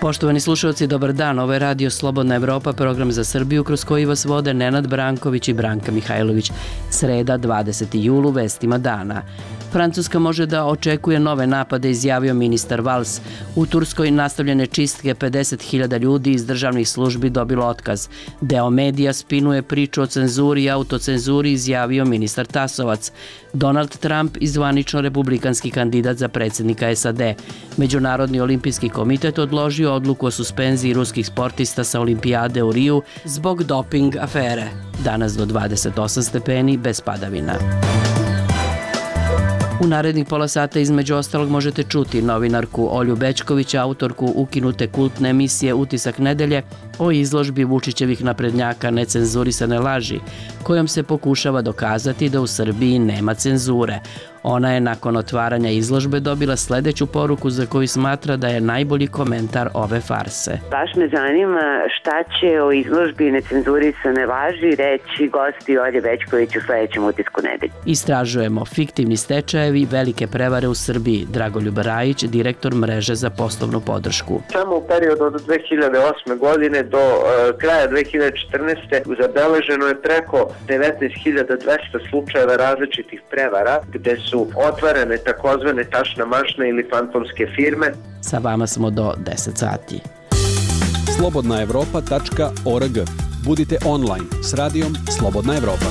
Poštovani slušalci, dobar dan. Ovo je Radio Slobodna Evropa, program za Srbiju kroz koji vas vode Nenad Branković i Branka Mihajlović. Sreda, 20. julu, vestima dana. Francuska može da očekuje nove napade, izjavio ministar Valls. U Turskoj nastavljene čistke, 50.000 ljudi iz državnih službi dobilo otkaz. Deo medija spinuje priču o cenzuri i autocenzuri, izjavio ministar Tasovac. Donald Trump i zvanično republikanski kandidat za predsjednika SAD. Međunarodni olimpijski komitet odložio odluku o suspenziji ruskih sportista sa olimpijade u Riju zbog doping afere. Danas do 28 stepeni bez padavina. U narednih pola sata između ostalog možete čuti novinarku Olju Bećković, autorku ukinute kultne emisije Utisak nedelje o izložbi Vučićevih naprednjaka Necenzurisane laži, kojom se pokušava dokazati da u Srbiji nema cenzure. Ona je nakon otvaranja izložbe dobila sledeću poruku za koju smatra da je najbolji komentar ove farse. Baš me zanima šta će o izložbi Necenzurisane laži reći gosti Olje Bećković u sledećem Utisku nedelje. Istražujemo fiktivni stečajevi, velike prevare u Srbiji. Dragoljub Rajić, direktor mreže za poslovnu podršku. Samo u periodu od 2008. godine do kraja 2014. zabeleženo je preko 19.200 slučajeva različitih prevara gde su otvorene takozvane tašna mašne ili fantomske firme. Sa vama smo do 10 sati. slobodnaevropa.org. Budite online s radijom Slobodna Evropa.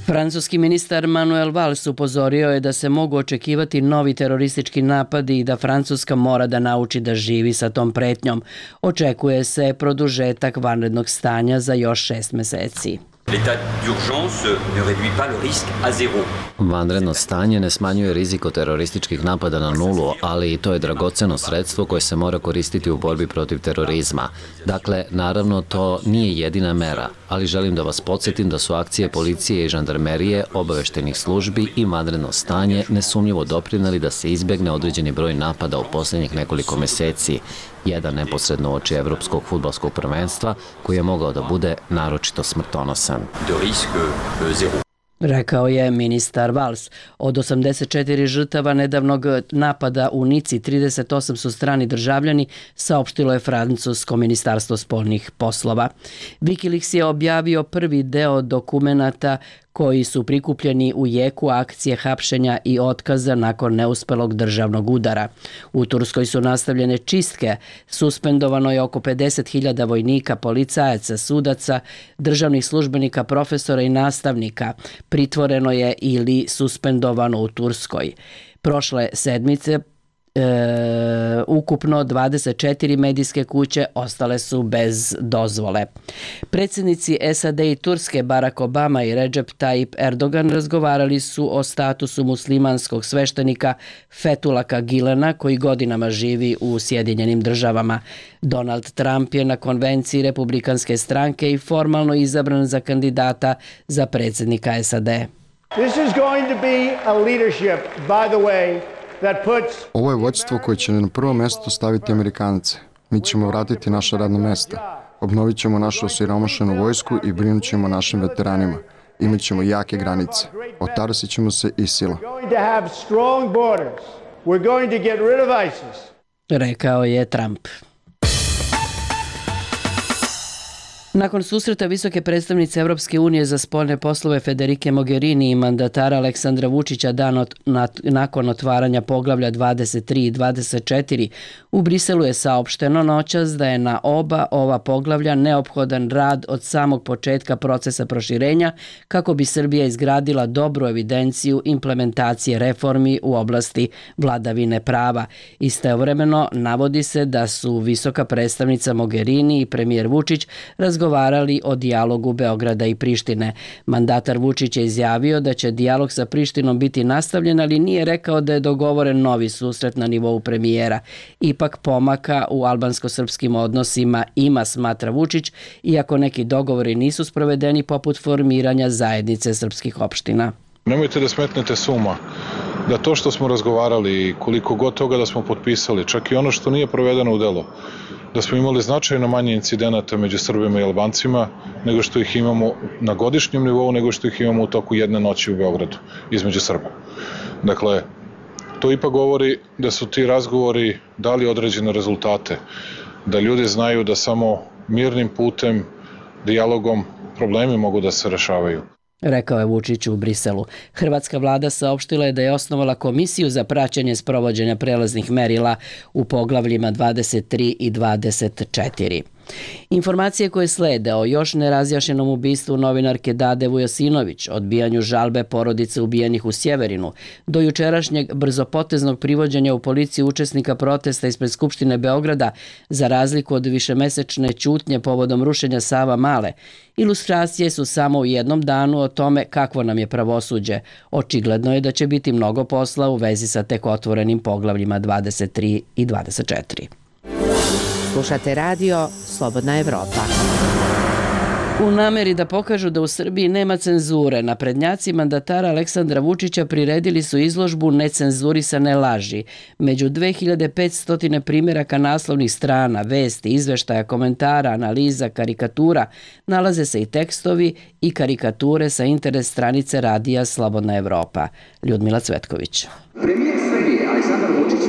Francuski ministar Manuel Valls upozorio je da se mogu očekivati novi teroristički napadi i da Francuska mora da nauči da živi sa tom pretnjom. Očekuje se produžetak vanrednog stanja za još 6 meseci. L'état d'urgence ne réduit pas le risque à zéro. Vanredno stanje ne smanjuje rizik od terorističkih napada na nulu, ali i to je dragoceno sredstvo koje se mora koristiti u borbi protiv terorizma. Dakle, naravno, to nije jedina mera, ali želim da vas podsjetim da su akcije policije i žandarmerije, obaveštenih službi i vanredno stanje nesumnjivo doprineli da se izbegne određeni broj napada u posljednjih nekoliko meseci. Jedan neposredno uoči Evropskog fudbalskog prvenstva koji je mogao da bude naročito smrtonosan. De risque zéro. Rekao je ministar Valls. Od 84 žrtava nedavnog napada u Nici, 38 su strani državljani, saopštilo je francusko ministarstvo spoljnih poslova. Wikileaks je objavio prvi deo dokumenata koji su prikupljeni u jeku akcije hapšenja i otkaza nakon neuspelog državnog udara. U Turskoj su nastavljene čistke, suspendovano je oko 50.000 vojnika, policajaca, sudaca, državnih službenika, profesora i nastavnika. Pritvoreno je ili suspendovano u Turskoj. Prošle sedmice ukupno 24 medijske kuće ostale su bez dozvole. Predsjednici SAD i Turske Barack Obama i Recep Tayyip Erdogan razgovarali su o statusu muslimanskog sveštenika Fethullah Gilena koji godinama živi u Sjedinjenim Državama. Donald Trump je na konvenciji Republikanske stranke i formalno izabran za kandidata za predsjednika SAD. This is going to be a leadership, by the way, Ovo je vođstvo koje će na prvo mesto staviti Amerikance. Mi ćemo vratiti naša radna mesta. Obnovit ćemo našu osiromašenu vojsku i brinut ćemo našim veteranima. Imat ćemo jake granice. Otarasit ćemo se ISIL-a. Rekao je Trump. Nakon susreta visoke predstavnice Evropske unije za spoljne poslove Federike Mogherini i mandatara Aleksandra Vučića nakon otvaranja poglavlja 23 i 24, u Briselu je saopšteno noćas da je na oba ova poglavlja neophodan rad od samog početka procesa proširenja kako bi Srbija izgradila dobru evidenciju implementacije reformi u oblasti vladavine prava. Istovremeno navodi se da su visoka predstavnica Mogherini i premijer Vučić razgovarali o dijalogu Beograda i Prištine. Mandatar Vučić je izjavio da će dijalog sa Prištinom biti nastavljen, ali nije rekao da je dogovoren novi susret na nivou premijera. Ipak pomaka u albansko-srpskim odnosima ima, smatra Vučić, iako neki dogovori nisu sprovedeni poput formiranja zajednice srpskih opština. Nemojte da smetnete s uma da to što smo razgovarali, koliko god toga da smo potpisali, čak i ono što nije provedeno u delo, da smo imali značajno manje incidenata među Srbima i Albancima nego što ih imamo na godišnjem nivou, nego što ih imamo u toku jedne noći u Beogradu između Srba. Dakle, to ipak govori da su ti razgovori dali određene rezultate, da ljudi znaju da samo mirnim putem, dijalogom, problemi mogu da se rešavaju. Rekao je Vučić u Briselu. Hrvatska vlada saopštila je da je osnovala komisiju za praćenje sprovođenja prelaznih merila u poglavljima 23 i 24. Informacije koje slede o još nerazjašnjenom ubistvu novinarke Dade Vujosinović, odbijanju žalbe porodice ubijenih u Sjeverinu, do jučerašnjeg brzopoteznog privođenja u policiju učesnika protesta ispred Skupštine Beograda, za razliku od višemesečne ćutnje povodom rušenja Savamale, ilustracije su samo u jednom danu o tome kakvo nam je pravosuđe. Očigledno je da će biti mnogo posla u vezi sa tek otvorenim poglavljima 23 i 24. Slušate radio Slobodna Evropa. U nameri da pokažu da u Srbiji nema cenzure, naprednjaci mandatara Aleksandra Vučića priredili su izložbu Necenzurisane laži. Među 2500 primjeraka naslovnih strana, vesti, izveštaja, komentara, analiza, karikatura, nalaze se i tekstovi i karikature sa interes stranice radija Slobodna Evropa. Ljudmila Cvetković. Premijer Srbije Aleksandar Vučić.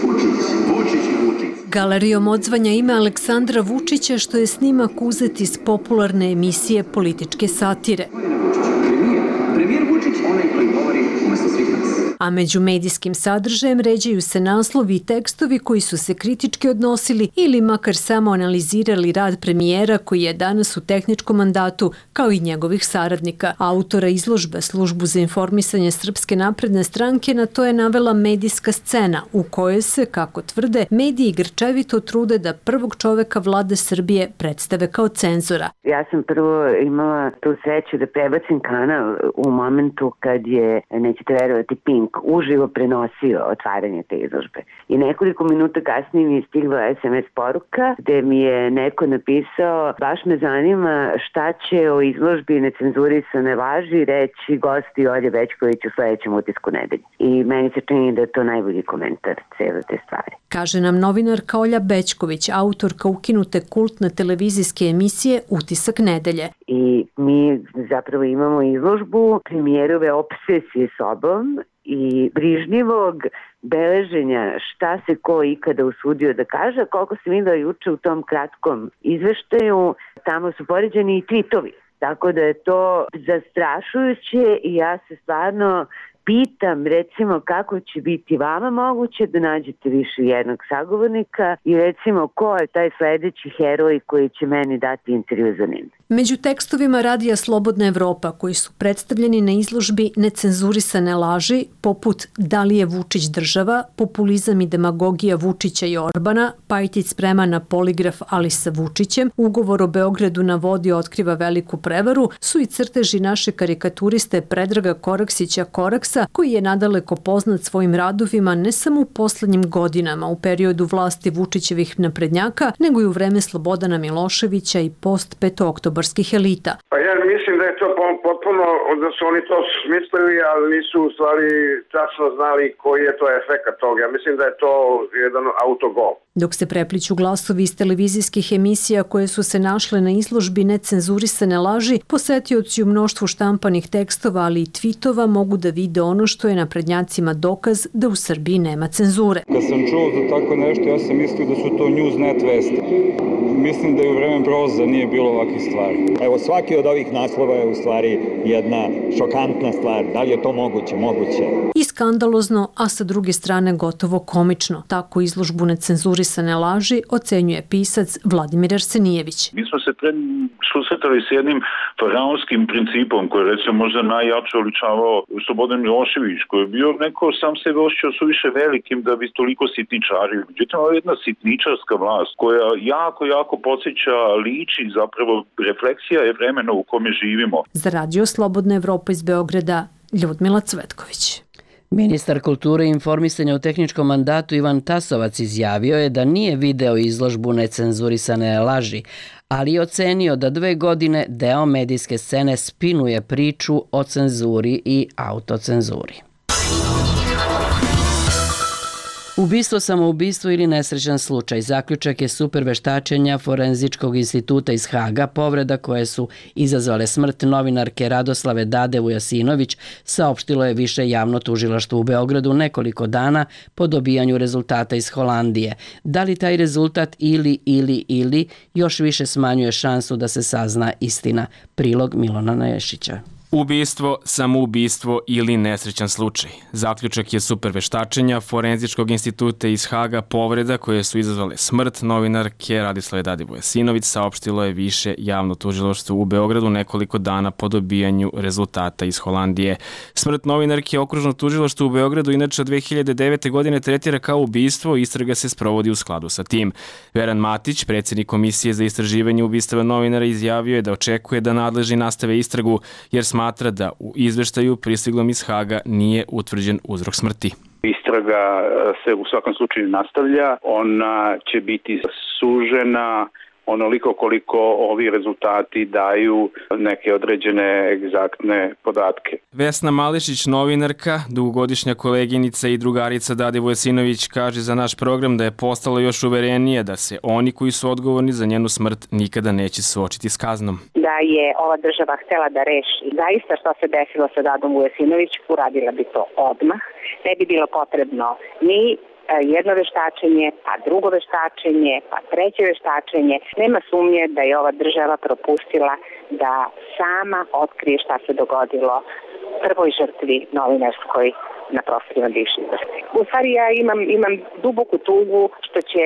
Galerijom odzvanja ime Aleksandra Vučića, što je snimak uzet iz popularne emisije političke satire. Premijer Vučić, onaj koji govori umesto svih nas. A među medijskim sadržajem ređaju se naslovi i tekstovi koji su se kritički odnosili ili makar samo analizirali rad premijera koji je danas u tehničkom mandatu, kao i njegovih saradnika. Autora izložbe, Službu za informisanje Srpske napredne stranke, na to je navela medijska scena u kojoj se, kako tvrde, mediji grčevito trude da prvog čoveka vlade Srbije predstave kao cenzora. Ja sam prvo imala tu sreću da prebacim kanal u momentu kad je, nećete verovati, Pink uživo prenosio otvaranje te izložbe. I nekoliko minuta kasnije mi je stigla SMS poruka gde mi je neko napisao: baš me zanima šta će o izložbi Necenzurisane laži reći gosti Olje Bećković u sledećem utisku nedelje. I meni se čini da je to najbolji komentar cele te stvari. Kaže nam novinarka Olja Bećković, autorka ukinute kultne televizijske emisije Utisak nedelje. I mi zapravo imamo izložbu premijerove obsesije sobom i brižnjivog beleženja šta se ko ikada usudio da kaže. Koliko sam videla juče u tom kratkom izveštaju, tamo su poređeni i tvitovi. Tako da je to zastrašujuće i ja se stvarno pitam, recimo, kako će biti vama moguće da nađete više jednog sagovornika i recimo ko je taj sledeći heroj koji će meni dati intervju za njim. Među tekstovima radija Slobodna Evropa koji su predstavljeni na izložbi Necenzurisane laži, poput Da li je Vučić država, populizam i demagogija Vučića i Orbana, Pajtić sprema na poligraf ali sa Vučićem, ugovor o Beogradu na vodi otkriva veliku prevaru, su i crteži naše karikaturiste Predraga Koraksića Koraksa, koji je nadaleko poznat svojim radovima ne samo u poslednjim godinama u periodu vlasti Vučićevih naprednjaka, nego i u vreme Slobodana Miloševića i post-petooktobarskih elita. Pa ja mislim da je to potpuno, da su oni to smislili, ali nisu u stvari tačno znali koji je to efekat toga. Ja mislim da je to jedan autogol. Dok se prepliću glasovi iz televizijskih emisija koje su se našle na izložbi Necenzurisane laži, posetioci u mnoštvu štampanih tekstova, ali i tvitova mogu da vide ono što je naprednjacima dokaz da u Srbiji nema cenzure. Kad sam čuo za tako nešto, ja sam mislio da su to Newsnet vesti. Mislim da je u vreme Broza nije bilo ovakvih stvari. Evo, svaki od ovih naslova je u stvari jedna šokantna stvar. Da li je to moguće? Moguće. I skandalozno, a sa druge strane gotovo komično. Tako izložbu Necenzurisane laži ocenjuje pisac Vladimir Arsenijević. Mi smo se susretali s jednim faraonskim principom koji je recimo možda najjače oličavao Slobodan Milošević, koji je bio neko sam sebe osjećao suviše velikim da bi toliko sitničario. Međutim, ovo je jedna sitničarska vlast koja jako podsjeća, liči, zapravo refleksija je vremena u kome živimo. Za radio Slobodna Evropa iz Beograda, Ljudmila Cvetković. Ministar kulture i informisanja u tehničkom mandatu Ivan Tasovac izjavio je da nije video izložbu Necenzurisane laži, ali je ocenio da 2 godine deo medijske scene spinuje priču o cenzuri i autocenzuri. Ubistvo, samoubistvo ili nesrećan slučaj. Zaključak je super veštačenja Forenzičkog instituta iz Haga, povreda koje su izazvale smrt novinarke Radoslave Dade Vujasinović, saopštilo je više javno tužilaštvo u Beogradu nekoliko dana po dobijanju rezultata iz Holandije. Da li taj rezultat ili još više smanjuje šansu da se sazna istina? Prilog Milana Nešića. Ubistvo, samoubistvo ili nesrećan slučaj. Zaključak je super veštačenja Forenzičkog instituta iz Haga, povreda koje su izazvale smrt novinarke Radislave Dade Vujasinović, saopštilo je više javno tužilaštvo u Beogradu nekoliko dana po dobijanju rezultata iz Holandije. Smrt novinarke okružno tužilaštvo u Beogradu inače od 2009. godine tretira kao ubistvo, istraga se sprovodi u skladu sa tim. Veran Matić, predsjednik Komisije za istraživanje ubistava novinara, izjavio je da očekuje da nadležni nastave istragu, jer smatra da u izveštaju pristiglom iz Haga nije utvrđen uzrok smrti. Istraga se u svakom slučaju nastavlja, ona će biti sužena onoliko koliko ovi rezultati daju neke određene egzaktne podatke. Vesna Mališić, novinarka, dugogodišnja koleginica i drugarica Dade Vujasinović, kaže za naš program da je postalo još uverenije da se oni koji su odgovorni za njenu smrt nikada neće suočiti s kaznom. Da je ova država htela da reši zaista što se desilo sa Dadom Vujasinović, uradila bi to odmah. Ne bi bilo potrebno ni jedno veštačenje, pa drugo veštačenje, pa treće veštačenje. Nema sumnje da je ova država propustila da sama otkrije šta se dogodilo prvoj žrtvi novinarskoj na prostorima bivše Jugoslavije. U stvari ja imam duboku tugu što će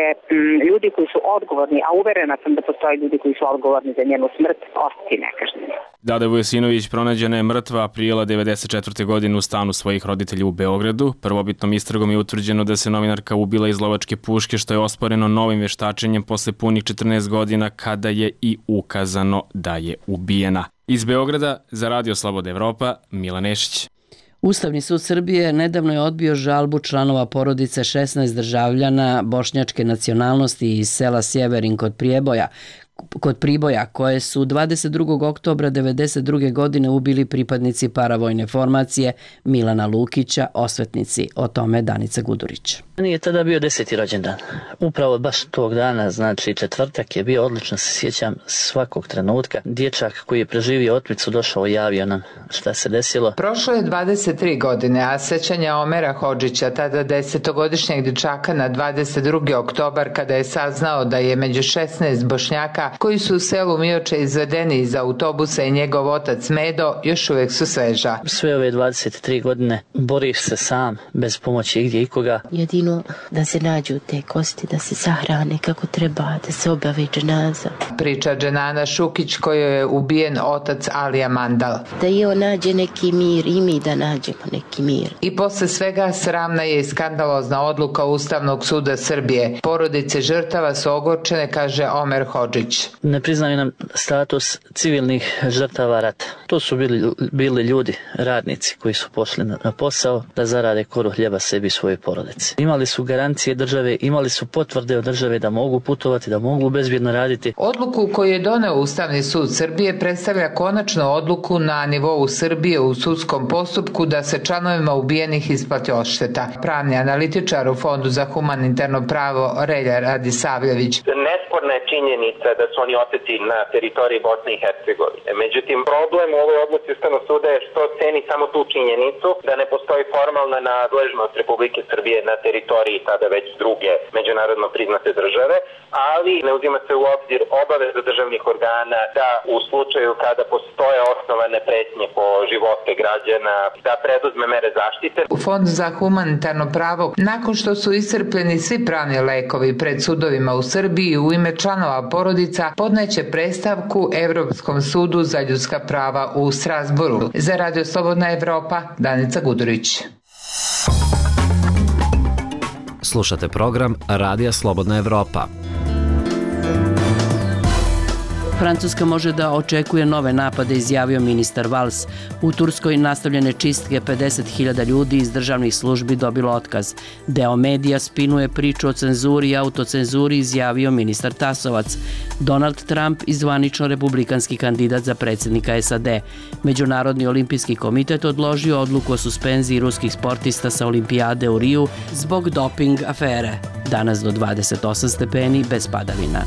ljudi koji su odgovorni, a uverena sam da postoje ljudi koji su odgovorni za njenu smrt, ostati nekažnjeni. Dada Vujasinović pronađena je mrtva aprila 1994. godine u stanu svojih roditelja u Beogradu. Prvobitnom istragom je utvrđeno da se novinarka ubila iz lovačke puške, što je osporeno novim veštačenjem posle punih 14 godina kada je i ukazano da je ubijena. Iz Beograda za Radio Slobodna Evropa, Milan Nešić. Ustavni sud Srbije nedavno je odbio žalbu članova porodice 16 državljana bošnjačke nacionalnosti iz sela Sjeverin kod Priboja, koje su 22. oktobra 1992. godine ubili pripadnici paravojne formacije Milana Lukića, osvetnici. O tome Danica Gudurić. Nije tada bio 10. rođendan. Upravo baš tog dana, znači četvrtak je bio, odlično se sjećam svakog trenutka. Dječak koji je preživio otmicu došao i javio nam šta se desilo. Prošlo je 23 godine, a sećanja Omera Hodžića, tada 10-godišnjeg dječaka na 22. oktobar, kada je saznao da je među 16 Bošnjaka koji su u selu Mioče izvedeni iz autobusa i njegov otac Medo, još uvijek su sveža. Sve ove 23 godine boriš se sam, bez pomoći igdje ikoga. Jedino da se nađu te kosti, da se sahrane kako treba, da se obavi dženaza. Priča Dženana Šukić, kojoj je ubijen otac Alija Mandal. Da i on nađe neki mir i mi da nađemo neki mir. I posle svega sramna je i skandalozna odluka Ustavnog suda Srbije. Porodice žrtava su ogorčene, kaže Omer Hodžić. Ne priznaju nam status civilnih žrtava rata. To su bili ljudi, radnici koji su pošli na posao da zarade koru hljeba sebi i svoje porodice. Imali su garancije države, imali su potvrde od države da mogu putovati, da mogu bezbjedno raditi. Odluku koju je doneo Ustavni sud Srbije predstavlja konačnu odluku na nivou Srbije u sudskom postupku da se članovima ubijenih isplati odšteta. Pravni analitičar u Fondu za humanitarno pravo Relja Radisavljević. Nesporna je činjenica da su oni oteti na teritoriji Bosne i Hercegovine. Međutim, problem u ovoj odluci Ustavnog suda je što ceni samo tu činjenicu da ne postoji formalna nadležnost Republike Srbije na teritoriji tada već druge međunarodno priznate države, ali ne uzima se u obzir obaveza državnih organa da u slučaju kada postoje osnovane pretnje po živote građana da preduzme mere zaštite. U Fondu za humanitarno pravo, nakon što su iscrpljeni svi pravni lekovi pred sudovima u Srbiji, u ime članova porodica podneće predstavku Evropskom sudu za ljudska prava u Strasburu. Za Radio Slobodna Evropa, Danica Gudurić. Slušate program Radija Slobodna Evropa. Francuska može da očekuje nove napade, izjavio ministar Valls. U Turskoj nastavljene čistke, 50.000 ljudi iz državnih službi dobilo otkaz. Deo medija spinuje priču o cenzuri i autocenzuri, izjavio ministar Tasovac. Donald Trump i zvanično republikanski kandidat za predsjednika SAD. Međunarodni olimpijski komitet odložio odluku o suspenziji ruskih sportista sa olimpijade u Riju zbog doping afere. Danas do 28 stepeni bez padavina.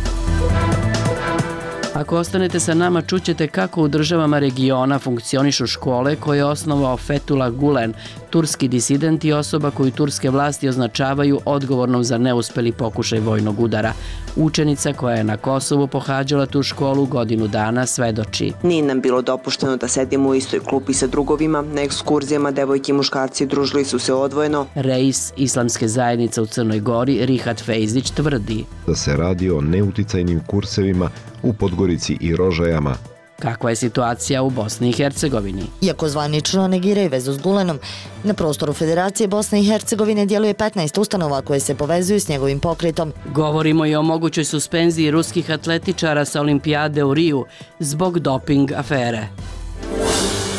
Ako ostanete sa nama, čućete kako u državama regiona funkcionišu škole koje je osnovao Fethullah Gulen, turski disident i osoba koju turske vlasti označavaju odgovornom za neuspeli pokušaj vojnog udara. Učenica koja je na Kosovu pohađala tu školu godinu dana svedoči. Nije nam bilo dopušteno da sedimo u istoj klupi sa drugovima, na ekskurzijama devojke i muškarci družili su se odvojeno. Reis islamske zajednice u Crnoj Gori, Rihat Fejzić, tvrdi da se radi o neuticajnim kursevima u Podgorici i Rožajama. Kakva je situacija u Bosni i Hercegovini? Iako zvanično negiraju vezu s Gulenom, na prostoru Federacije Bosne i Hercegovine djeluje 15 ustanova koje se povezuju s njegovim pokretom. Govorimo i o mogućoj suspenziji ruskih atletičara sa olimpijade u Riju zbog doping afere.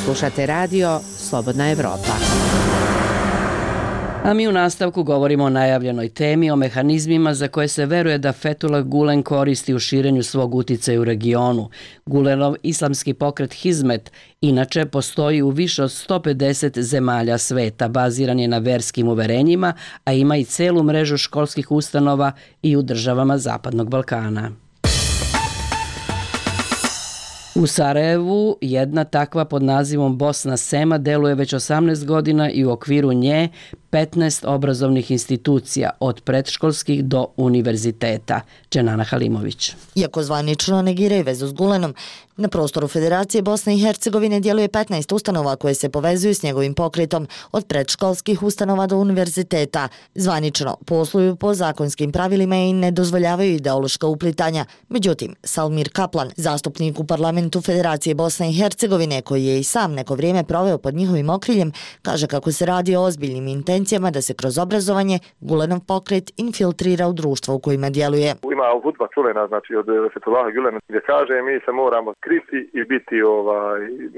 Slušate radio Slobodna Evropa. A mi u nastavku govorimo o najavljenoj temi, o mehanizmima za koje se veruje da Fethullah Gulen koristi u širenju svog uticaja u regionu. Gulenov islamski pokret Hizmet inače postoji u više od 150 zemalja sveta, baziran je na verskim uverenjima, a ima i celu mrežu školskih ustanova i u državama Zapadnog Balkana. U Sarajevu jedna takva pod nazivom Bosna Sema deluje već 18 godina i u okviru nje 15 obrazovnih institucija od predškolskih do univerziteta. Dženana Halimović. Iako zvanično negiraju vezu s Gulenom, na prostoru Federacije Bosne i Hercegovine djeluje 15 ustanova koje se povezuju s njegovim pokretom, od predškolskih ustanova do univerziteta. Zvanično posluju po zakonskim pravilima i ne dozvoljavaju ideološka uplitanja. Međutim, Salmir Kaplan, zastupnik u parlamentu Federacije Bosne i Hercegovine, koji je i sam neko vrijeme proveo pod njihovim okriljem, kaže kako se radi o ozbiljnim intencijama da se kroz obrazovanje Gulenov pokret infiltrira u društvo u kojima djeluje. Ima hudba čuvena, znači od Fethullaha Gulena, gdje kaže mi se moramo kriti i biti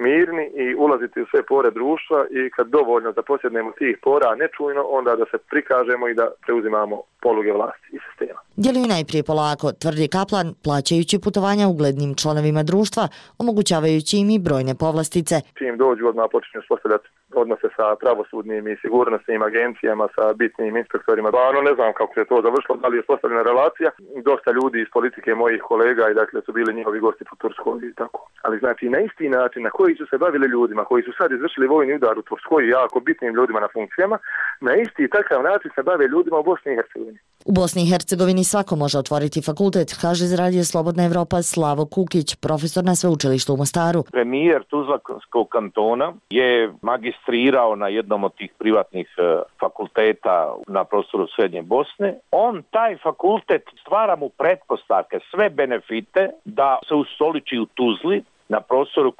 mirni i ulaziti u sve pore društva i kad dovoljno da posjednemo tih pora nečujno, onda da se prikažemo i da preuzimamo poluge vlasti i sistema. Djeluju najprije polako, tvrdi Kaplan, plaćajući putovanja uglednim članovima društva, omogućavajući im i brojne povlastice. Čim dođu, odmah počinju uspostavljati odnose sa pravosudnim i sigurnosnim agencijama, sa bitnim inspektorima. Ne znam kako se to završilo, da li je uspostavljena relacija. Dosta ljudi iz politike mojih kolega i dakle su bili njihovi gosti po Turskoj i tako. Ali znači na isti način na koji su se bavili ljudima koji su sad izvršili vojni udar u Turskoj, jako bitnim ljudima na funkcijama, na isti takav način se bave ljudima u Bosni i Hercegovini. U Bosni i Hercegovini svako može otvoriti fakultet, kaže iz radija Slobodna Evropa Slavo Kukić, profesor na sveučilištu u Mostaru. Premijer Tuzlanskog kantona je magistrirao na jednom od tih privatnih fakulteta na prostoru Srednje Bosne. On taj fakultet stvara mu pretpostavke, sve benefite da se ustoliči u Tuzli na prostoru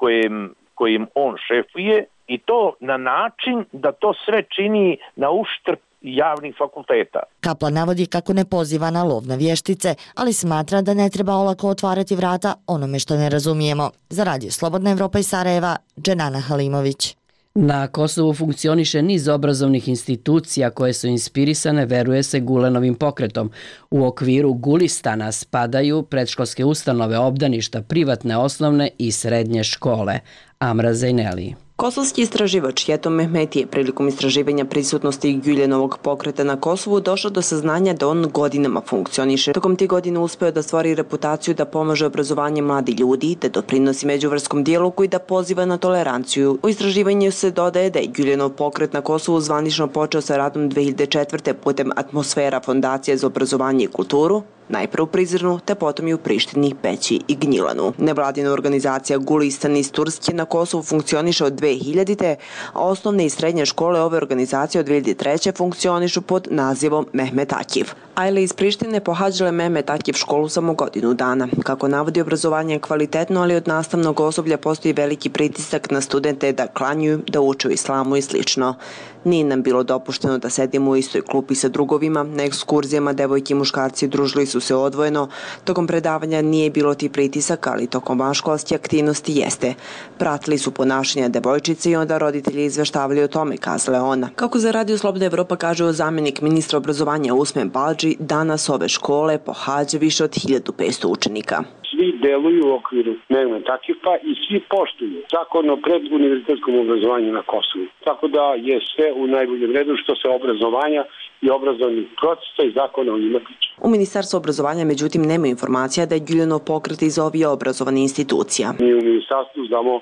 kojim on šefuje i to na način da to sve čini na uštrb javnih fakulteta. Kaplan navodi kako ne poziva na lov na vještice, ali smatra da ne treba olako otvarati vrata onome što ne razumijemo. Za radio Slobodna Evropa iz Sarajeva, Dženana Halimović. Na Kosovu funkcioniše niz obrazovnih institucija koje su inspirisane, veruje se, Gulenovim pokretom. U okviru Gulistana spadaju predškolske ustanove, obdaništa, privatne osnovne i srednje škole. Amra Zajneli. Kosovski istraživač Jetom Mehmeti je prilikom istraživanja prisutnosti Guljenovog pokreta na Kosovu došao do saznanja da on godinama funkcioniše. Tokom tih godina uspeo da stvori reputaciju da pomaže obrazovanje mladih ljudi, da doprinosi međuvrskom dijalogu i da poziva na toleranciju. U istraživanju se dodaje da je Guljenov pokret na Kosovu zvanično počeo sa radom 2004. putem Atmosfera fondacije za obrazovanje i kulturu, najprve u Prizrenu, te potom i u Prištini, Peći i Gnjilanu. Nevladina organizacija Gulistan iz Turske na Kosovu funkcioniše od 2000. a osnovne i srednje škole ove organizacije od 2003. funkcionišu pod nazivom Mehmet Akif. Ajle iz Prištine pohađale Mehmet Akif školu samo godinu dana. Kako navodi, obrazovanje je kvalitetno, ali od nastavnog osoblja postoji veliki pritisak na studente da klanjuju, da uče o islamu i slično. Nije nam bilo dopušteno da sedimo u istoj klupi sa drugovima, na ekskurzijama devojke i muškarci družili su se odvojeno. Tokom predavanja nije bilo ti pritisaka, ali tokom vanškolske aktivnosti jeste. Pratili su ponašanja devojčice i onda roditelji izveštavali o tome, kazala je ona. Kako za Radio Slobodna Evropa kaže zamjenik ministra obrazovanja Usmen Balđi, danas ove škole pohađa više od 1500 učenika. Svi deluju u okviru dnevnog takipa i svi poštuju zakon o preduniverzitetskom obrazovanju na Kosovu. Tako da je sve u najboljem redu što se obrazovanja i obrazovnih procesa i zakona o njima tiče. U Ministarstvu obrazovanja međutim nema informacija da je Güljanov pokret iz ovih obrazovnih institucija. Mi u Ministarstvu znamo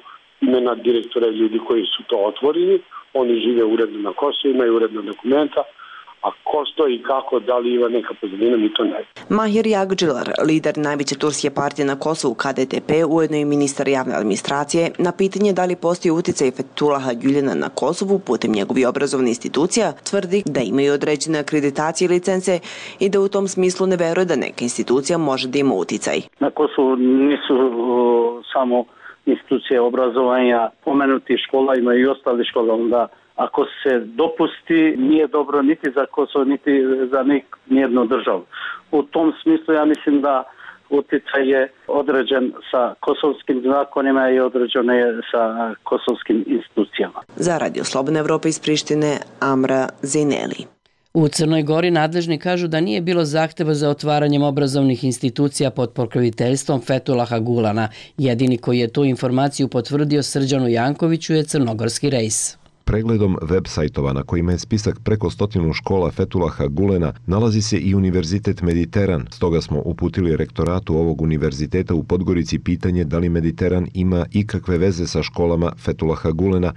imena direktora i ljudi koji su to otvorili. Oni žive uredno na Kosovu, imaju uredno dokumenta. A ko stoji i kako, da li ima neka pozadina, mi to ne. Mahir Jagdžilar, lider najveće turske partije na Kosovu KDTP, ujedno i ministar javne administracije, na pitanje da li postoji uticaj Fethulaha Güljana na Kosovu putem njegovih obrazovnih institucija, tvrdi da imaju određene akreditacije i licence i da u tom smislu ne veruje da neka institucija može da ima uticaj. Na Kosovu nisu samo institucije obrazovanja, pomenuti škola, imaju i ostali škola, onda ako se dopusti, nije dobro niti za Kosovo, niti za nijednu državu. U tom smislu ja mislim da utjecaj je određen sa kosovskim zakonima i određen je sa kosovskim institucijama. Za Radio Slobodna Evropa iz Prištine, Amra Zineli. U Crnoj Gori nadležni kažu da nije bilo zahteva za otvaranjem obrazovnih institucija pod pokroviteljstvom Fethulaha Gulana. Jedini koji je tu informaciju potvrdio Srđanu Jankoviću je crnogorski rejs. Pregledom web sajtova na kojima je spisak preko 100 škola Fethulaha Gulena nalazi se i Univerzitet Mediteran. Stoga smo uputili rektoratu ovog univerziteta u Podgorici pitanje da li Mediteran ima ikakve veze sa školama Fethulaha Gulena.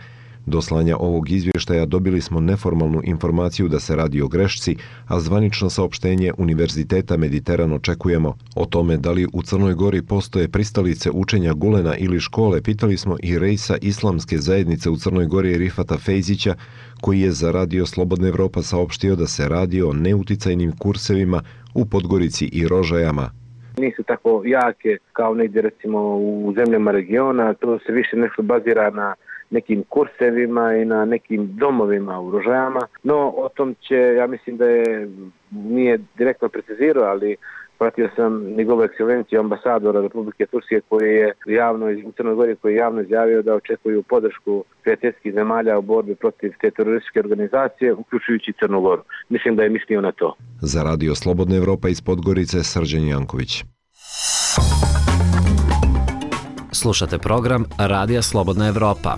Do slanja ovog izvještaja dobili smo neformalnu informaciju da se radi o grešci, a zvanično saopštenje Univerziteta Mediteran očekujemo. O tome da li u Crnoj Gori postoje pristalice učenja Gulena ili škole pitali smo i rejsa Islamske zajednice u Crnoj Gori Rifata Fejzića, koji je za Radio Slobodna Evropa saopštio da se radi o neuticajnim kursevima u Podgorici i Rožajama. Nisu tako jake kao negdje recimo u zemljama regiona, to se više nešto bazira na nekim kursevima i na nekim domovima u Rožajama, no o tom će, ja mislim da nije direktno precizirao, ali pratio sam njegovu ekscelenciju ambasadora Republike Turske koji je javno u Crnoj Gori koji je javno izjavio da očekuju podršku prijateljskih zemalja u borbi protiv te terorističke organizacije, uključujući Crnu Goru. Mislim da je mislio na to. Za Radio Slobodna Evropa iz Podgorice, Srđan Janković. Slušate program Radija Slobodna Evropa.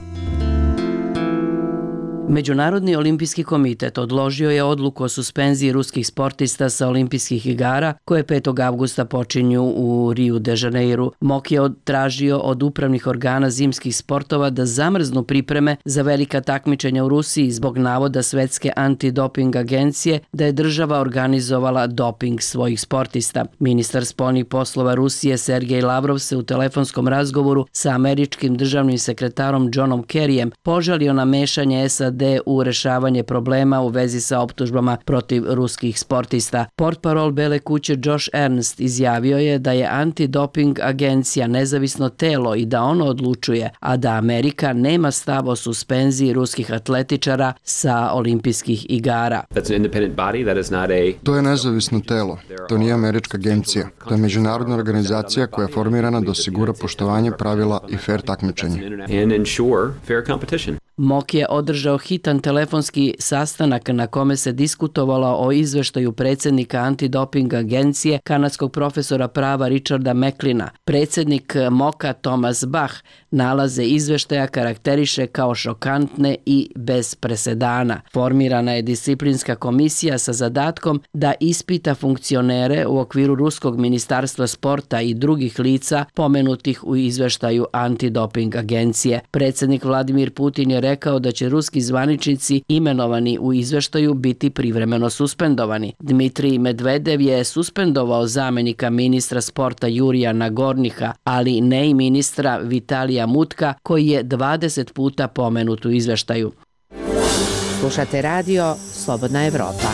Međunarodni olimpijski komitet odložio je odluku o suspenziji ruskih sportista sa olimpijskih igara koje 5. avgusta počinju u Rio de Janeiru. MOK je tražio od upravnih organa zimskih sportova da zamrznu pripreme za velika takmičenja u Rusiji zbog navoda Svetske antidoping agencije da je država organizovala doping svojih sportista. Ministar spoljnih poslova Rusije Sergej Lavrov se u telefonskom razgovoru sa američkim državnim sekretarom Johnom Kerryjem požalio na mešanje SAD u rešavanje problema u vezi sa optužbama protiv ruskih sportista. Portparol Bele kuće Josh Ernst izjavio je da je antidoping agencija nezavisno telo i da ono odlučuje, a da Amerika nema stav o suspenziji ruskih atletičara sa olimpijskih igara. To je nezavisno telo. To nije američka agencija. To je međunarodna organizacija koja je formirana da osigura poštovanje pravila i fair takmičenje. MOK je održao hitan telefonski sastanak na kome se diskutovalo o izveštaju predsjednika antidoping agencije kanadskog profesora prava Richarda Macleana. Predsjednik MOK-a Thomas Bach nalaze izveštaja karakteriše kao šokantne i bez presedana. Formirana je disciplinska komisija sa zadatkom da ispita funkcionere u okviru Ruskog ministarstva sporta i drugih lica pomenutih u izveštaju antidoping agencije. Predsjednik Vladimir Putin je rekao da će ruski zvaničnici imenovani u izveštaju biti privremeno suspendovani. Dmitrij Medvedev je suspendovao zamjenika ministra sporta Jurija Nagorniha, ali ne i ministra Vitalija Mutka, koji je 20 puta pomenut u izveštaju. Slušate radio Slobodna Evropa.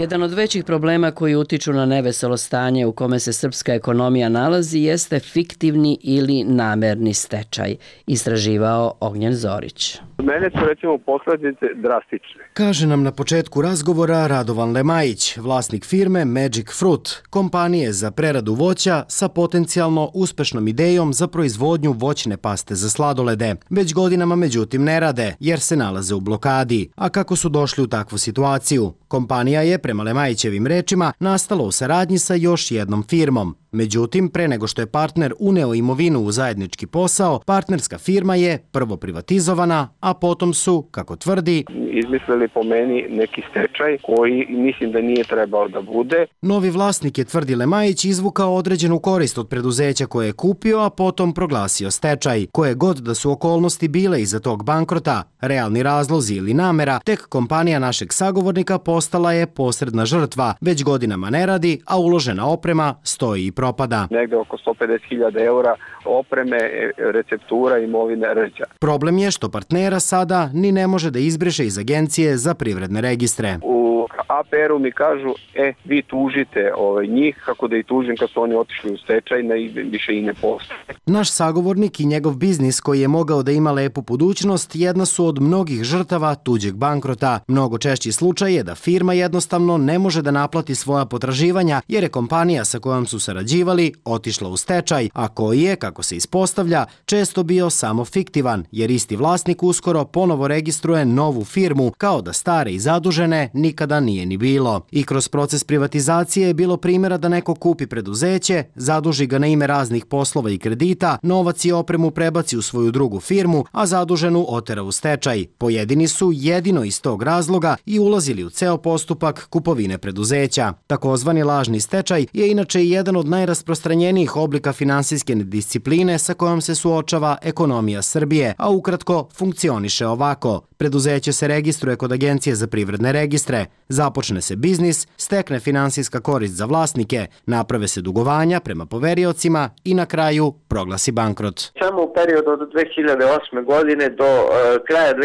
Jedan od većih problema koji utiču na neveselo stanje u kome se srpska ekonomija nalazi jeste fiktivni ili namerni stečaj, istraživao Ognjen Zorić. Mene su recimo posljedice drastične. Kaže nam na početku razgovora Radovan Lemajić, vlasnik firme Magic Fruit, kompanije za preradu voća sa potencijalno uspešnom idejom za proizvodnju voćne paste za sladolede. Već godinama međutim ne rade jer se nalaze u blokadi. A kako su došli u takvu situaciju? Kompanija je, prema Lemajićevim rečima, nastala u saradnji sa još jednom firmom. Međutim, pre nego što je partner uneo imovinu u zajednički posao, partnerska firma je prvo privatizovana, a potom su, kako tvrdi, izmislili po meni neki stečaj koji mislim da nije trebao da bude. Novi vlasnik je, tvrdi Lemajić, izvukao određenu korist od preduzeća koje je kupio, a potom proglasio stečaj. Koje god da su okolnosti bile iza tog bankrota, realni razlozi ili namera, tek kompanija našeg sagovornika postala je posredna žrtva. Već godinama ne radi, a uložena oprema stoji i propada. Negde oko 150.000 eura opreme, receptura, imovine, ređa. Problem je što partnera sada ni ne može da izbriše iz Agencije za privredne registre. U APR-u mi kažu, vi tužite njih, kako da i tužim kad su oni otišli u stečaj, više i ne postoje. Naš sagovornik i njegov biznis koji je mogao da ima lepu budućnost jedna su od mnogih žrtava tuđeg bankrota. Mnogo češći slučaj je da firma jednostavno ne može da naplati svoja potraživanja jer je kompanija sa kojom su sarađivali otišla u stečaj, a koji je, kako se ispostavlja, često bio samo fiktivan jer isti vlasnik uskoro ponovo registruje novu firmu kao da stare i zadužene nikada nije ni bilo. I kroz proces privatizacije je bilo primjera da neko kupi preduzeće, zaduži ga na ime raznih poslova i kredita, novac i opremu prebaci u svoju drugu firmu, a zaduženu otera u stečaj. Pojedini su jedino iz tog razloga i ulazili u ceo postupak kupovine preduzeća. Takozvani lažni stečaj je inače jedan od najrasprostranjenijih oblika finansijske nediscipline sa kojom se suočava ekonomija Srbije, a ukratko funkcioniše ovako. Preduzeće se registruje kod Agencije za privredne registre, započne se biznis, stekne finansijska korist za vlasnike, naprave se dugovanja prema poveriocima i na kraju proglasi bankrot. Samo u periodu od 2008. godine do kraja 2014.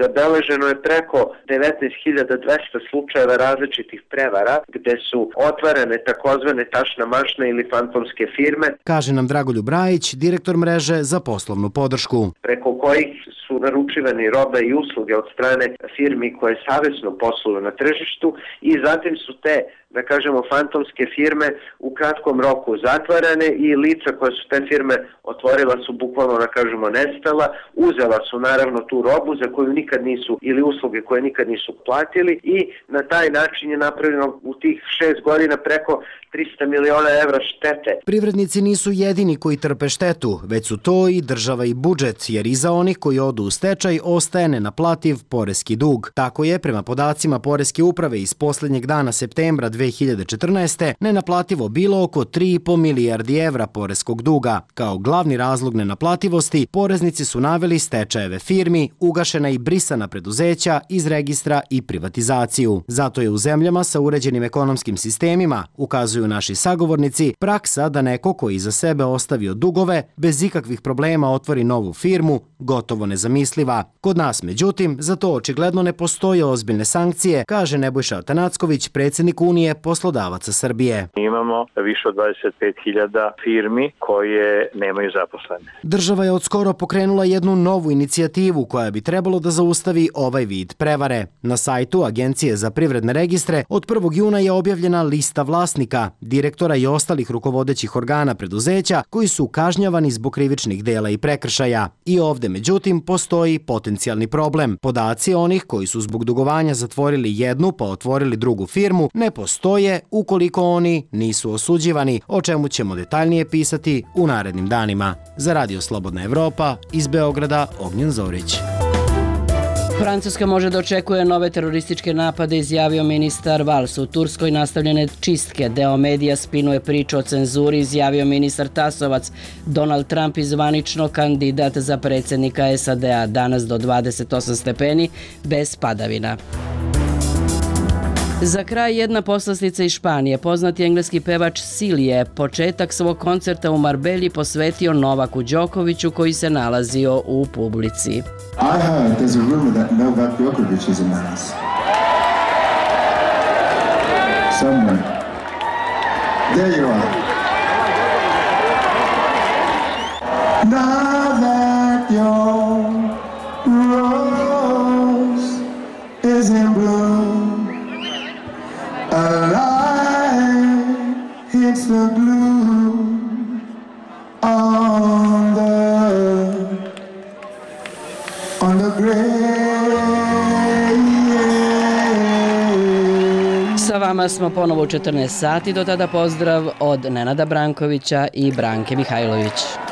zabeleženo je preko 19.200 slučajeva različitih prevara gde su otvarane takozvane tašna mašna ili fantomske firme. Kaže nam Dragoljub Rajić, direktor mreže za poslovnu podršku. Preko kojih su naručivani robe i usluge od strane firmi koje savesno posluju na tržištu i zatim su te, da kažemo, fantomske firme u kratkom roku zatvarane i lica koje su te firme otvorila su bukvalno, da kažemo, nestala, uzela su naravno tu robu za koju nikad nisu ili usluge koje nikad nisu platili i na taj način je napravljeno u tih 6 godina preko 300 miliona evra štete. Privrednici nisu jedini koji trpe štetu, već su to i država i budžet, jer iza onih koji odu u stečaj ostaje nenaplativ poreski dug. Tako je, prema podacima Poreske uprave iz poslednjeg dana septembra 2014. nenaplativo bilo oko 3,5 milijardi evra poreskog duga. Kao glavni razlog nenaplativosti, poreznici su naveli stečajeve firmi, ugašena i brisana preduzeća iz registra i privatizaciju. Zato je u zemljama sa uređenim ekonomskim sistemima, ukazuju naši sagovornici, praksa da neko koji iza sebe ostavio dugove, bez ikakvih problema otvori novu firmu, gotovo nezamisliva. Kod nas, međutim, za to očigledno ne postoje ozbiljne sankcije, kaže Nebojša Atanacković, predsjednik Unije poslodavaca Srbije. Imamo više od 25.000 firmi koje nemaju zaposlene. Država je odskoro pokrenula jednu novu inicijativu koja bi trebalo da zaustavi ovaj vid prevare. Na sajtu Agencije za privredne registre od 1. juna je objavljena lista vlasnika, direktora i ostalih rukovodećih organa preduzeća koji su kažnjavani zbog krivičnih dela i prekršaja. I ovde, međutim, postoji potencijalni problem. Podaci onih koji su zbog dugovanja zatvorili jednu pa otvorili drugu firmu ne postoje ukoliko oni nisu osuđivani, o čemu ćemo detaljnije pisati u narednim danima. Za Radio Slobodna Evropa, iz Beograda, Ognjen Zorić. Francuska može da očekuje nove terorističke napade, izjavio ministar Valls. U Turskoj nastavljene čistke. Deo medija spinuje priču o cenzuri, izjavio ministar Tasovac. Donald Trump zvanično kandidat za predsjednika SAD-a. Danas do 28 stepeni, bez padavina. Za kraj jedna poslastica iz Španije. Poznati engleski pevač Sil je početak svog koncerta u Marbelji posvetio Novaku Đokoviću koji se nalazio u publici. I heard there's a rumor that Novak Djokovic is in the house. somewhere. There you are. Now that your rose is in bloom, a light hits the gloom on the gray. Sa vama smo ponovo u 14 sati, do tada pozdrav od Nenada Brankovića i Branke Mihajlović.